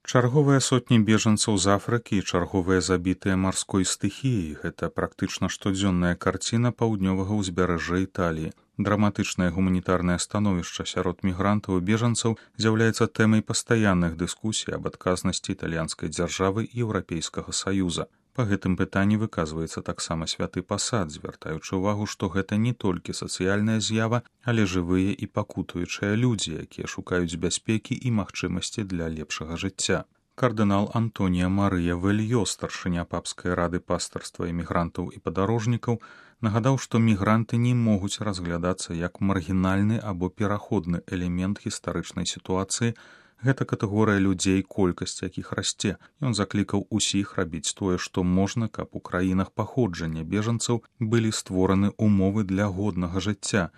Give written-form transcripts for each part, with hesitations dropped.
Чарговыя сотні бежанцаў з Афрыкі і чарговыя забітыя марской стыхіяй – гэта практычна штодзённая карціна паўднёвага ўзбярэжжа Італіі. Драматычнае гуманітарнае становішча сярод мігрантаў і бежанцаў з'яўляецца тэмай пастаянных дыскусій аб адказнасці італьянскай дзяржавы і Еўрапейскага Саюза. Па гэтым пытанні выказваецца таксама святы пасад, звяртаючы ўвагу, што гэта не толькі сацыяльная з'ява, але жывыя і пакутуючыя людзі, якія шукаюць бяспекі і магчымасці для лепшага жыцця. Кардынал Антоніа Марыя Вельё, старшыня папскай рады пастарства імігрантаў і падарожнікаў, нагадаў, што мігранты не могуць разглядацца як маргінальны або пераходны элемент гістарычнай сітуацыі. Гэта катэгорыя людзей, колькасць якіх расце. Ён заклікаў усіх рабіць тое, што можна, каб у краінах паходжання бежанцаў былі створаны ўмовы для годнага жыцця.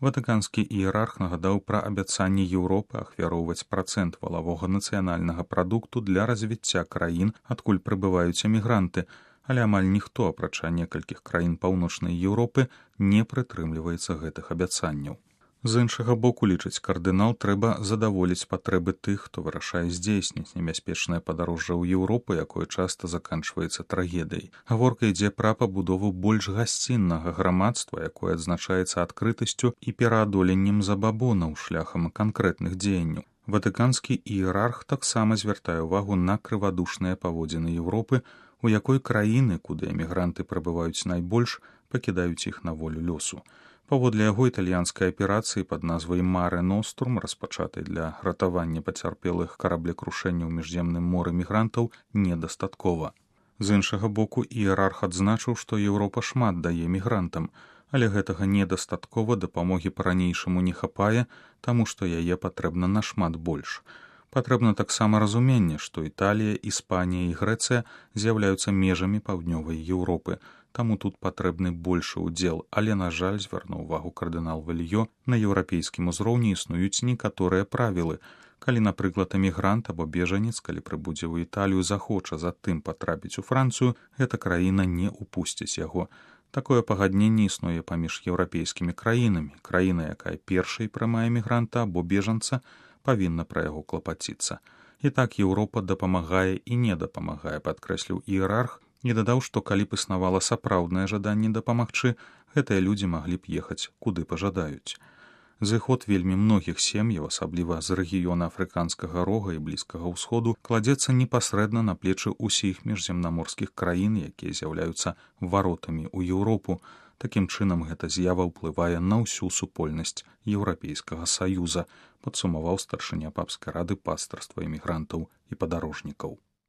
Ватыканскі іерарх нагадаў пра абяцанне Еўропы ахвяроўваць працэнт валавога нацыянальнага прадукту для развіцця краін, адкуль прыбываюць эмігранты, але амаль ніхто, апрача некалькіх краін паўночнай Еўропы, не прытрымліваецца гэтых абяцанняў. З іншага боку, лічыць кардынал, трэба задаволіць патрэбы тых, хто вырашае здзейсніць небяспечнае падарожжа ў Еўропу, якое часта заканчваецца трагедыяй. Гаворка ідзе пра пабудову больш гасціннага грамадства, якое адзначаецца адкрытасцю і пераадоленнем забабонаў шляхам канкрэтных дзеянняў. Ватыканскі іерарх таксама звяртае ўвагу на крывадушныя паводзіны Еўропы, у якой краіны, куды эмігранты прыбываюць найбольш, пакідаюць іх на волю лёсу. Паводле яго, італьянскай аперацыі пад назвай «Маре Нострум», распачатай для ратавання пацярпелых караблекрушэння ў міжземным моры мігрантаў, недастаткова. З іншага боку, іерарх адзначыў, што Еўропа шмат дае мігрантам, але гэтага недастаткова, дапамогі па-ранейшаму не хапае, таму што яе патрэбна нашмат больш. Патрэбна таксама разуменне, што Італія, Іспанія і Грэцыя з'яўляюцца межамі паўднёвай Еўропы, таму тут патрэбны большы ўдзел, але, на жаль, звярнуў увагу кардынал Вельё, на еўрапейскім узроўні існуюць некаторыя правілы. Калі, напрыклад, эмігрант або бежанец, калі прыбудзе ў Італію, захоча затым патрапіць у Францыю, гэта краіна не ўпусціць яго. Такое пагадненне існуе паміж еўрапейскімі краінамі. Краіна, якая першай прымае эмігранта або бежанца, павінна пра яго клапаціцца. І так Еўропа дапамагае і не дапамагае, падкрэсліў іерарх, і дадаў, што калі б існавала сапраўднае жаданне дапамагчы, гэтыя людзі маглі б ехаць, куды пажадаюць. Зыход вельмі многіх сем'яў, асабліва з рэгіёна Афрыканскага рога і Блізкага ўсходу, кладзецца непасрэдна на плечы ўсіх міжземнаморскіх краін, якія з'яўляюцца варотамі ў Еўропу. Такім чынам, гэта з'ява ўплывае на ўсю супольнасць Еўрапейскага Саюза, падсумаваў старшыня папскай рады пастарства імігрантаў і падарожнікаў.